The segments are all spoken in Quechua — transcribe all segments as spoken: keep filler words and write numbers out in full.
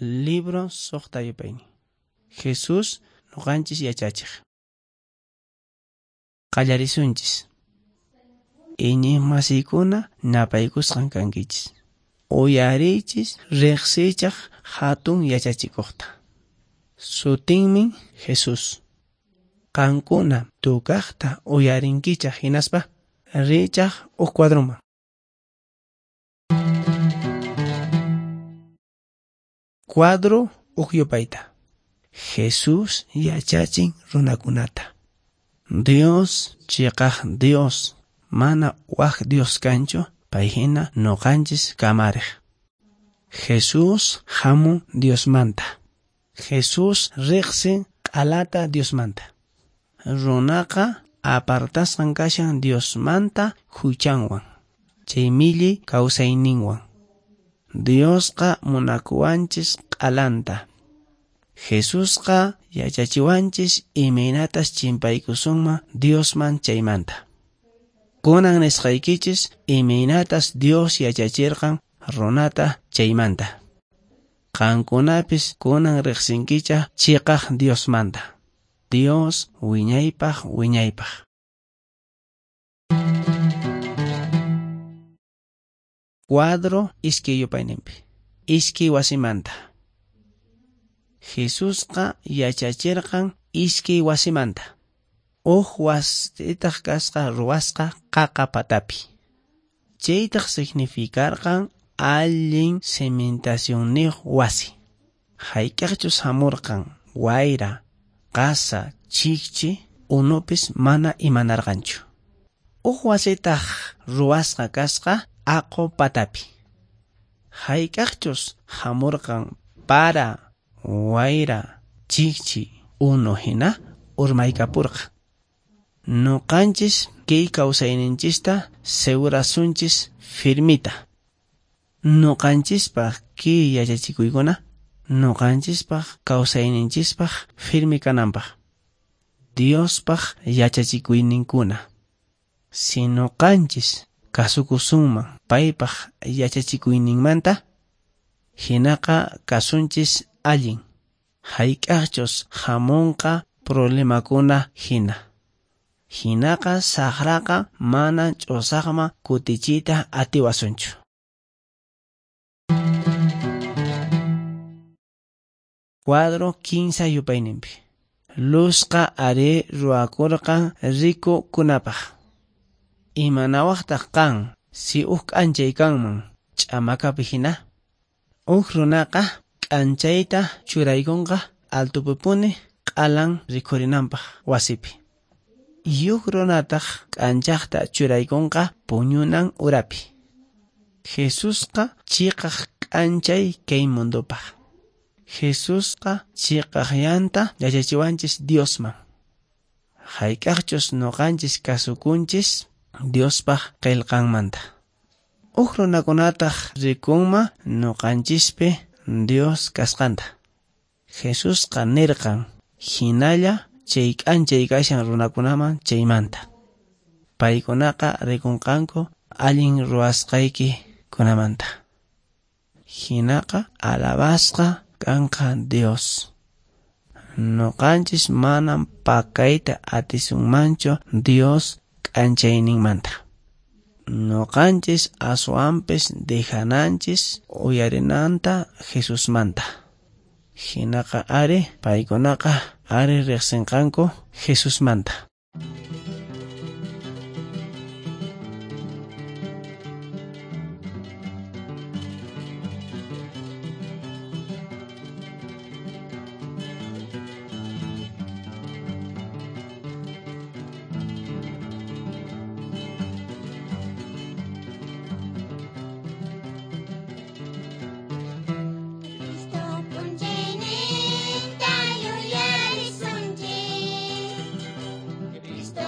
Libro suqta yupaynin. Jesús nuqanchis yachachiq. Qallarisunchis. Iñiqmasiykuna napaykusqan kankichis. Uyariychis riqsichaq hatun yachachikuqta. Sutinmi Jesús. Qankuna tukaqta uyarinkichaq hinaspa richaq huk cuadroman. Cuadro huk yupayta. Jesús yachachin runakunata. Dios chiqaq Dios, mana wak Dios kanchu, payhina nuqanchis kamariq. Jesús hamun Diosmanta. Jesús riqsin q'alata Diosmanta. Runaqa apartasqan kashan Diosmanta huchanwan, chay milli kawsayninwan. Diosqa munakuwanchis q'alanta. Jesusqa yachachiwanchis imaynatas chimpaykusunman Diosman chaymanta. Kunan nisqaykichis imaynatas Dios yachachirqan runata chaymanta. Qankunapis kunan riqsinkichaq chiqaq Diosmanta. Dios wiñaypaq wiñaypaq. Cuadro iskay yupayninpi. Iskay wasimanta. Jesusqa yachachirqan iskay wasimanta. Huk wasitaq kasqa ruwasqa qaqa patapi. Chaytaq significarqan allin cimentacionniyuq wasi. Hayk'aqchus hamurqan wayra, qasa, chikchi, unupis mana imanarqanchu. Huk wasitaq ruwasqa kasqa aqo patapi. Hayk'aqchus hamurqan para, wayra, chikchi, unu hina urmaykapurqa. Nuqanchis kay kawsayninchista segurasunchis firmita. Nuqanchispaq kay yachachikuykuna nuqanchispaq kawsayninchispaq firmi kananpaq. Diospaq yachachikuyninkuna. Si nuqanchis kasukusunman paypaq yachachikuyninmanta, hinaqa kasunchis allin. Hayk'aqchus hamunqa problemakuna hina. Hinaqa saqraqa mana ch'usaqman kutichiyta atiwasunchu. Cuadro kinsa yupayninpi. Luzqa ari ruwakurqan rikukunapaq. Imanawaqtaq qan si huk k'anchay kanman ch'amakapi hina? Huk runaqa k'anchayta churaykunqa altupipuni q'alan rikhurinanpaq wasipi. Yuk runataq k'anchaqta churaykunqa puñunan urapi. Jesusqa chiqaq k'anchay kay mundupaq. Jesusqa chiqaqllanta yachachiwanchis Diosman. Hayk'aqchus nuqanchis kasukunchis Diospaq qillqanmanta. Huk runakunataq rikunman nuqanchispi Dios kasqanta. Jesusqa nirqan hinalla chay k'anchay kashan runakunaman chaymanta. Paykunaqa rikunqanku allin ruwasqayki kunamanta. Hinaqa alabasqa kanqa Dios. Nuqanchis manam pakayta atisunmanchu Dios k'anchayninmanta. Nuqanchis aswanpis dejananchis uyarinanta Jesusmanta. Hinaqa ari paykunaqa ari riqsinqanku Jesusmanta. Cristo p'unchayninta yuyarisunchis. Cristo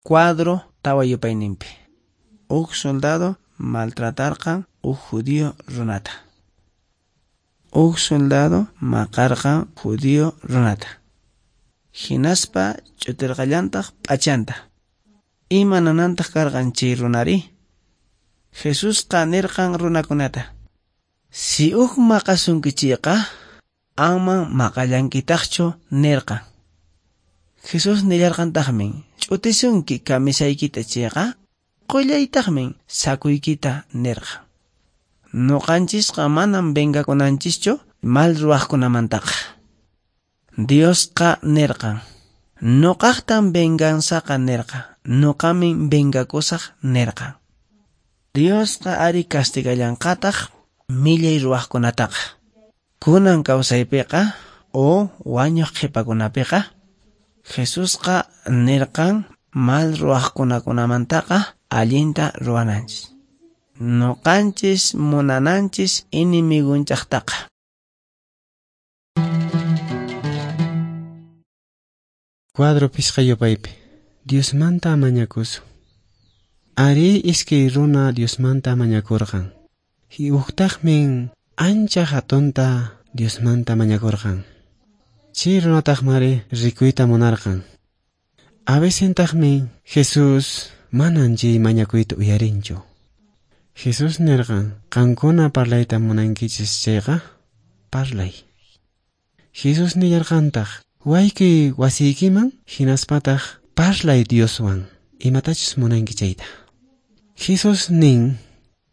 Cuadro tawa yupayninpi. Huk soldado maltratarqan huk judío runata. Huk soldado maqarqan judío runata. Hinaspa ch'utirqallantaq p'achanta. Imananantaq karqan chay runari? Jesusqa nirqan runakunata: Si huk maqasunkichikqa, aman maqallankitaqchu nirqan. Jesús nillarqantaqmi: Ch'utisunki kamisaykita chayqa, qullaytaqmi sakuykita nirqan. Nuqanchisqa manam vengakunanchischu mal ruwaqkunamantaqa. Diosqa nirqan: Nuqaqtan venganzaqa nirqa, nuqamin vengakusaq nirqan. Diosqa ari castigallanqataq millay ruwaqkunataqa. Kunan kawsaypiqa o wañuq qhipakunapiqa Jesusqa nirqan mal ruwaqkunakunamantaqa allinta ruwananchis. Nuqanchis munananchis enemigunchaqtaqa. Cuadro pisqa yupaypi. Diosmanta mañakusun. Ari iskay runa Diosmanta mañakurqan. Huktaqmin ancha hatunta Diosmanta mañakurqan. Chay runataqmari rikuyta munarqan. Avecentaqmi Jesús manan chay mañakuyta uyarinchu. Jesús nirqan: Qankuna parlayta munankichis chayqa, parlay. Jesús nillarqantaq: Waykuy wasiykiman hinaspataq parlay Dioswan imatachus munanki chayta. Jesús nin: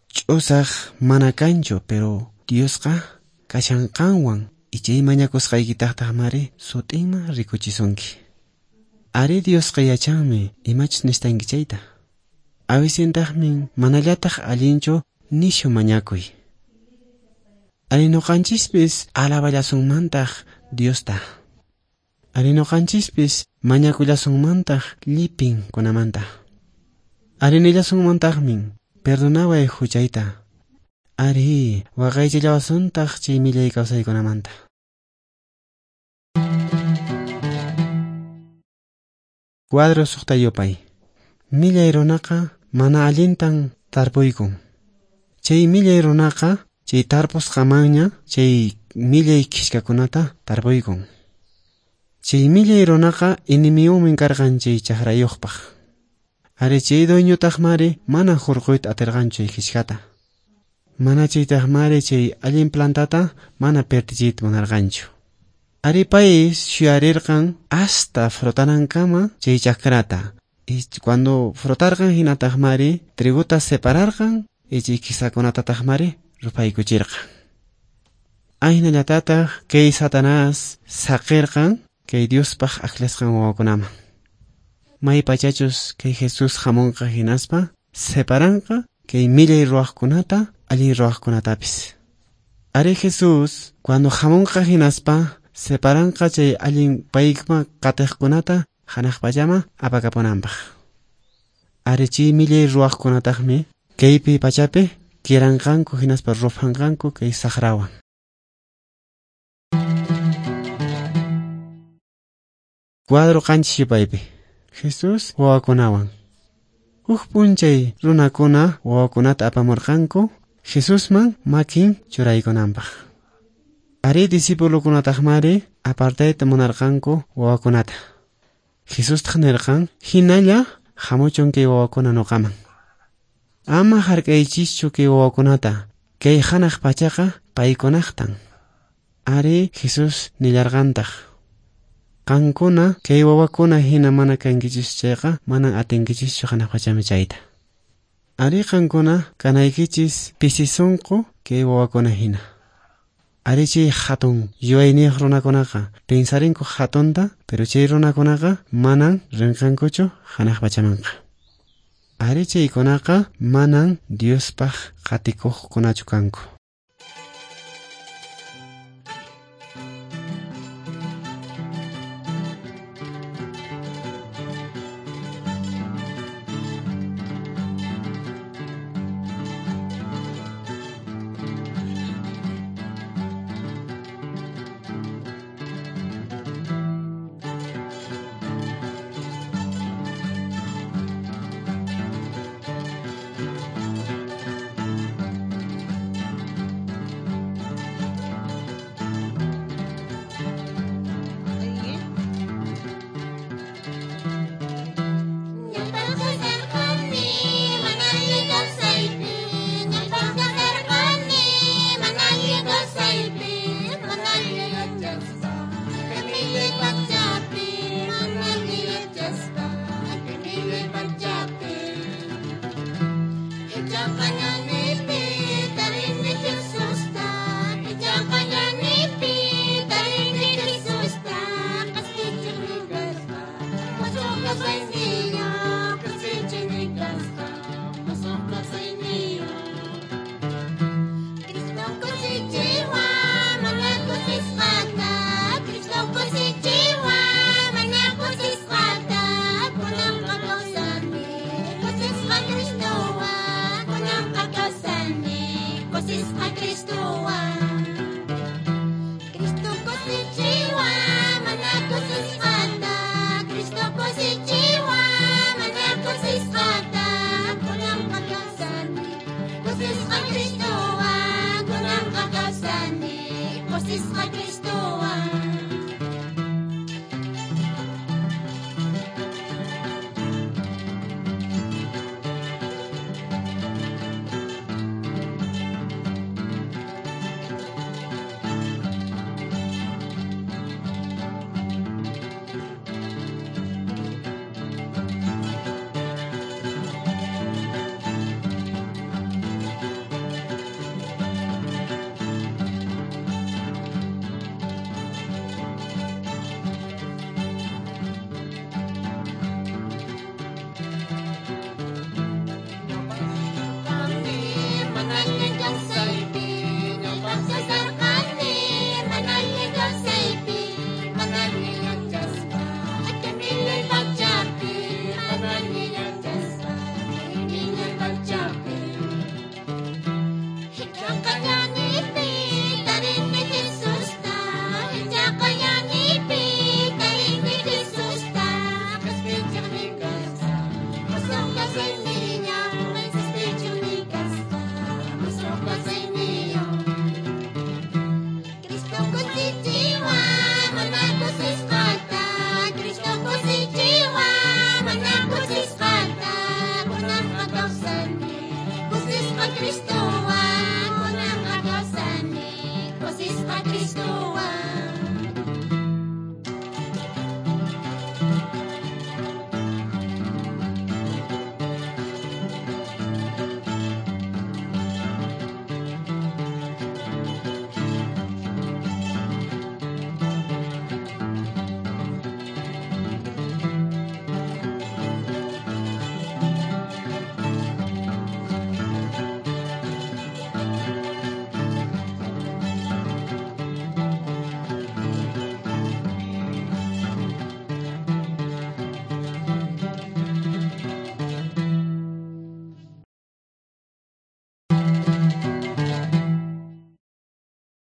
Ch'usaq mana kanchu, pero Diosqa kashan qanwan y chay mañakusqaykitaqtaqmari sutinman rikuchisunki. Ari Diosqa yachanmi imachus nistanki chayta. Avicentaqmi manallataq allinchu nishu mañakuy. Ari nuqanchispis alaballasunmantaq Diosta. Ari nuqanchispis mañakullasunmantaq llipin kunamanta. Ari nillasunmantaqmi perdonaway huchayta. Ari waqaychillawasuntaq chay millay kawsaykunamanta. Cuadro suqta yupay. Millay runaqa mana allintan tarpuykun. Chay millay runaqa chay tarpusqamanña chay millay khishkakunata tarpuykun. Chay millay runaqa enemiyumin karqan chay chakrayuqpaq. Ari chay dueñotaqmari mana hurquyta atirqanchu chay khishkata. Mana chaytaqmari chay allin plantata mana pertichiyta munarqanchu. Ari pay shuyarirqan hasta frotanankama chay chakrata. Y cuando frotarqan hinataqmari triguta separarqan y chay kisakunatataqmari rupaykuchirqan. Aynallatataq kay Satanás saqirqan kay Diospaq aklasqan wawakunaman. May pachachus kay Jesús hamunqa hinaspa separanqa kay millay ruwaqkunata allin ruwaqkunatapis. Ari Jesús cuando hamunqa hinaspa separanqa chay allin payma qatiqkunata hanaq pachama apakapunanpaq. Ari chay millay ruwaqkunataqmi kaypi pachapi kiranqanku hinaspa rufanqanku kay saqrawan. Cuadro qanchis yupaypi. Jesús wawakunawan. Huk p'unchay runakuna wawakunata apamurqanku Jesusman makin churaykunanpaq. Ari discipulukunataqmari apartayta munarqanku wawakunata. Jesustaq nirqan: Hinalla hamuchun kay wawakuna nuqaman. Ama hark'aychischu kay wawakunata, kay hanaq pachaqa paykunaqtan. Ari Jesús nillarqantaq: Qankuna kay wawakuna hina mana kankichis chayqa manan atinkichischu hanaq pachami chayta. Ari qankuna kanaykichis pisi sunqu kay wawakuna hina. Ari chay hatun yuyayniyuq runakunaqa pensarinku hatunta, pero chay runakunaqa manan rinqankuchu hanaq pachamanqa. Ari chaykunaqa manan Diospaq qatikuqkunachu kanku.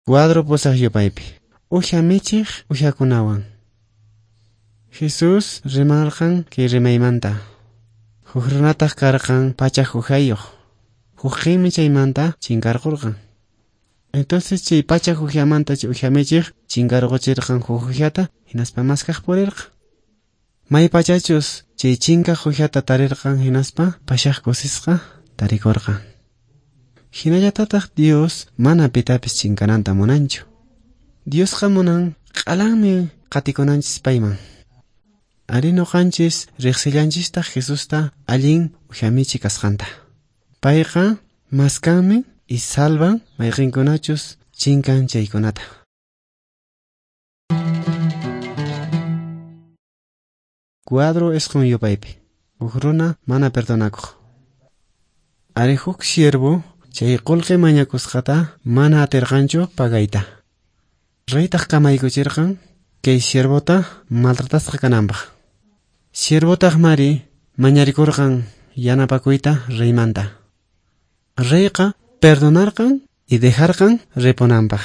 Cuadro pusaq yupaypi. Uxa michiq uxakunawan. Jesús rimarqan kay rimaymanta. Huk runataq karqan pachak uxayuq. Hukqinmi chaymanta chinkarqurqan. Entonces chay pachak uxamanta chay uxa michiq chinkarquchirqan huk uxata hinaspa maskaq purirqan. May pachachus chay chinkaq uxata tarirqan hinaspa pashaq kusisqa tarikurqan. Hinallatataq Dios mana pitapis chinkananta munanchu. Diosqa munan q'alanmi qatikunanchis payman. Ari nuqanchis riqsillanchistaq Jesusta allin uxamichi kasqanta. Payqa maskanmi y salvan mayqinkunachus chinkan chaykunata. Cuadro isqun yupaypi. Huk runa mana perdonakuq. Ari huk siervo chay qullqi mañakusqata mana atirqanchu pagayta. Reytaq kamaykuchirqan kay siervota maltratasqa kananpaq. Siervotaq mari mañarikurqan yanapakuyta reymanta. Reyqa perdonarqan y dejarqan ripunanpaq.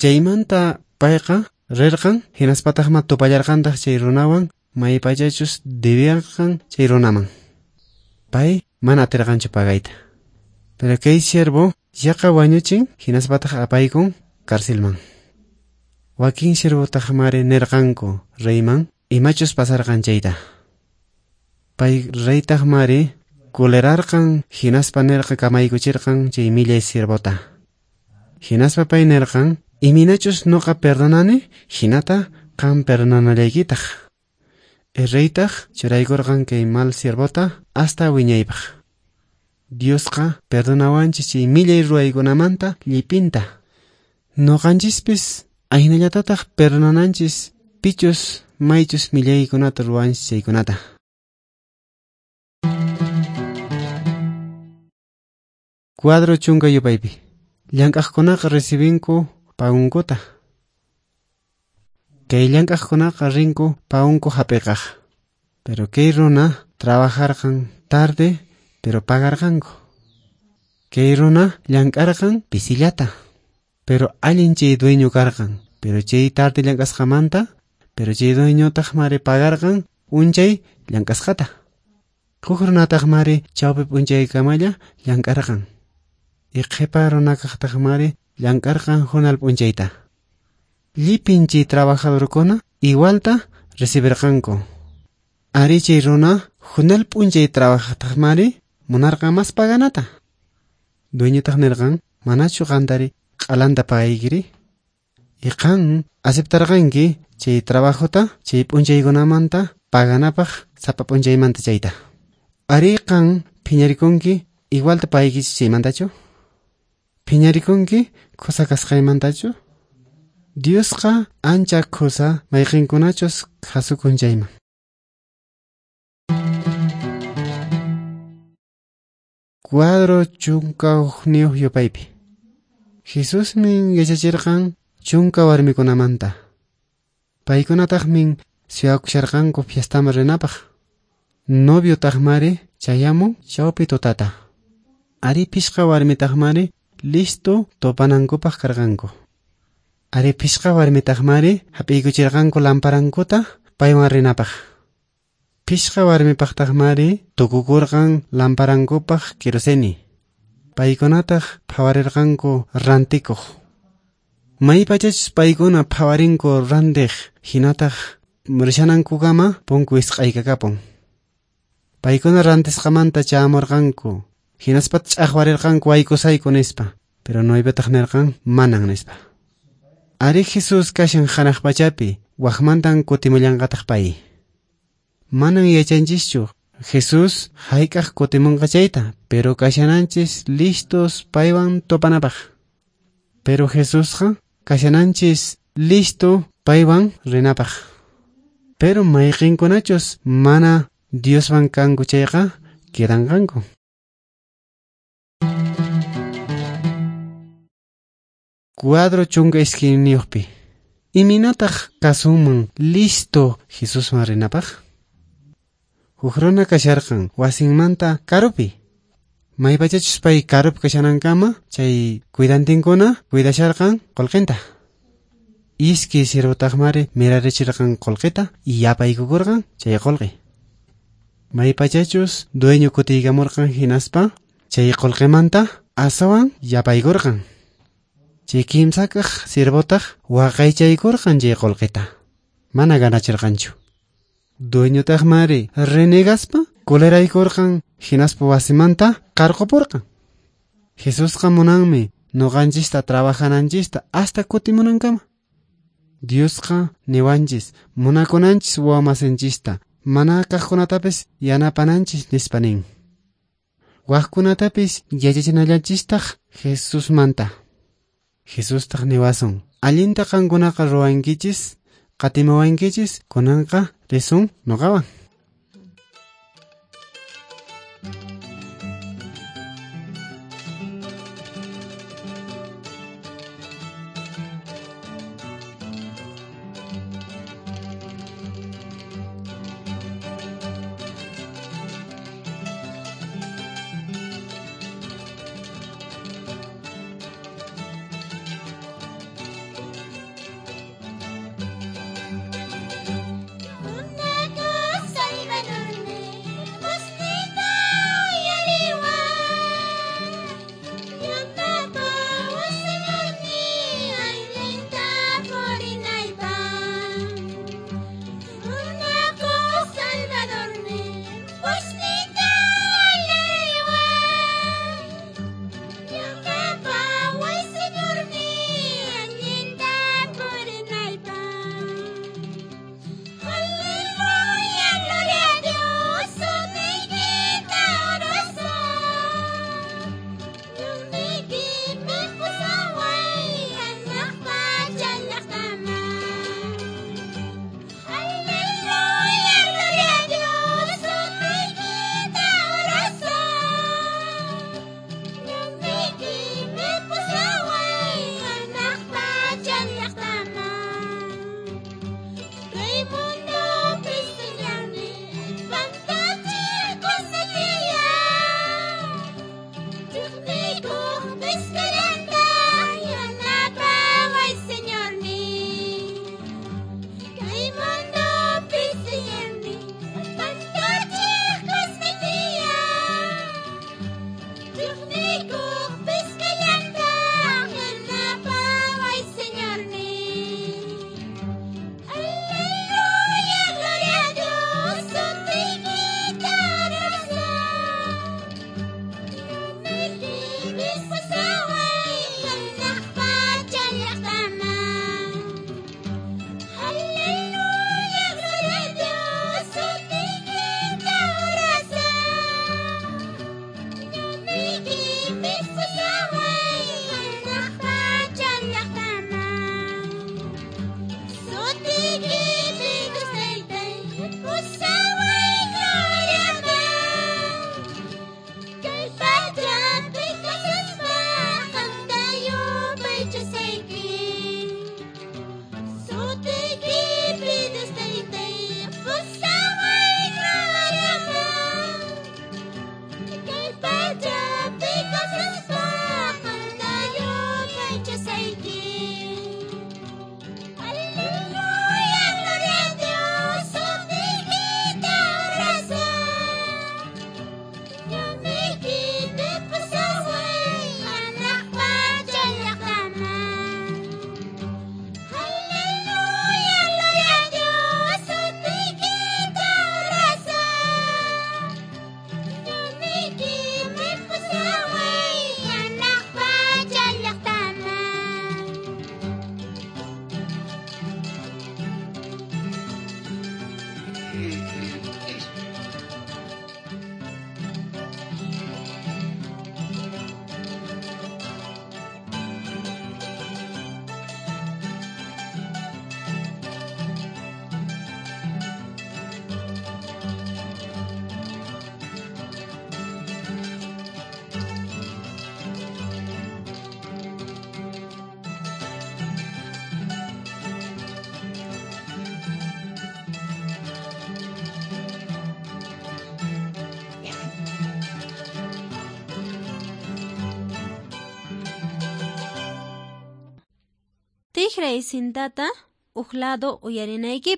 Chaymanta payqa rirqan hinaspataqma tupallarqantaq chay runawan maypachachus debiyarqan chay runaman. Pay mana atirqanchu pagayta. Pero kay siervo yaqa wañuchin hinaspataq apaykun carcelman. Wakin siervotaq mari nirqanku reyman imachus pasarqan chayta. Pay reytaq mari kulerarqan hinaspa nirqa kamaykuchirqan chay millay siervota. Hinaspa pay nirqan iminachus nuqa perdonani hinata qam perdonanallaykitaq. Reytaq churaykurqan kay mal siervota hasta wiñaypaq. Diosqa perdonawanchis chay millay ruwaykunamanta llipinta. Nuqanchispis ahinallatataq perdonananchis pichus maychus millaykunata ruwanchis chaykunata. Cuadro chunka yupaypi. Llank'aqkunaqa recibinku pagunkuta. Kay llank'aqkunaqa rinku pagunku hap'iqaq. Pero kay runa trabajarqan tarde pero pagarqanku. Kay runa llank'arqan pisillata. Pero allin chay dueño karqan. Pero chay tarde llank'asqamanta, pero chay dueñotaq mari pagarqan unchay llank'asqata. Huk runataq mari chawpi p'unchaykamalla llank'arqan. Y qhipa runakaqtaq mari llank'arqan hunal p'unchayta. Llipin chay trabajadorkuna igualta recibirqanku. Ari chay runa hunal p'unchay trabajaqtaq mari munarqan mas paganata. Dueñotaq nirqan manachu qantari q'alanta pagaykiri. Y qan aceptarqanki chay trabajota chay p'unchaykunamanta paganapaq sapa p'unchaymanta chayta. Ari qan phiñarikunki igualta pagaykichis chaymantachu? Phiñarikunki khusa kasqaymantachu? Diosqa ancha khusa mayqinkunachus khasukun chayman. Cuadro chunka hukniyuq yupaypi. Jesusmin yachachirqan chunka warmikunamanta. Paykunataqmin suyakusharqanku fiestaman rinapaq. Noviotaq mari chayamun chawpi tutata. Ari pishqa warmitaq mari listo tupanankupaq karqanku. Ari pishqa warmitaq mari hap'iykuchirqanku lamparankuta paywan rinapaq. Pishqa warmipaqtaq mari tukukurqan lamparankupaq querosene. Paykunataq phawarirqanku rantikuq. Maypachachus paykuna phawarinku rantiq hinataq rishanankukama punku isq'aykakapun. Paykuna rantisqamanta chamurqanku hinaspa ch'aqwarirqanku waykusayku nispa, pero noviotaq nirqan manan nispa. Ari Jesús kashan hanaq pachapi waqmantan kutimullanqataq pay. Manan yachanchischu Jesús hayk'aq kutimunqa chayta, pero kashananchis listos paywan tupanapaq. Pero Jesusqa kashananchis listo paywan rinapaq. Pero mayqinkunachus mana Dioswan kanku chayqa quedanqanku. Cuadro chunka iskayniyuqpi. Iminataq kasunman listo Jesuswan rinapaq? Huk runa kasharqan wasinmanta karupi. Maypachachus pay karupi kashanankama chay cuidantinkuna cuidasharqan qullqinta. Iskay siervotaqmari mirarichirqan qullqita y yapaykukurqan chay qullqi. Maypachachus dueño kutiykamurqan hinaspa chay qullqimanta aswan yapaykurqan. Chay kimsakaq siervotaq waqaychaykurqan chay qullqita. Mana ganachirqanchu. Dueñotaqmari renegaspa coleraykurqan hinaspa wasimanta qarqupurqan. Jesusqa munanmi nuqanchista trabajananchista hasta kutimunankama. Diosqa niwanchis munakunanchis wawamasinchista mana kaqkunatapis yanapananchis nispa nin. Waqkunatapis yachachinallanchistaq Jesusmanta. Jesustaq niwasun allinta qankunaqa ruwankichis qatimuwankichis kunanqa risun nuqawan. Una cosa Tijray cintata uq lado uyarinaykipaq.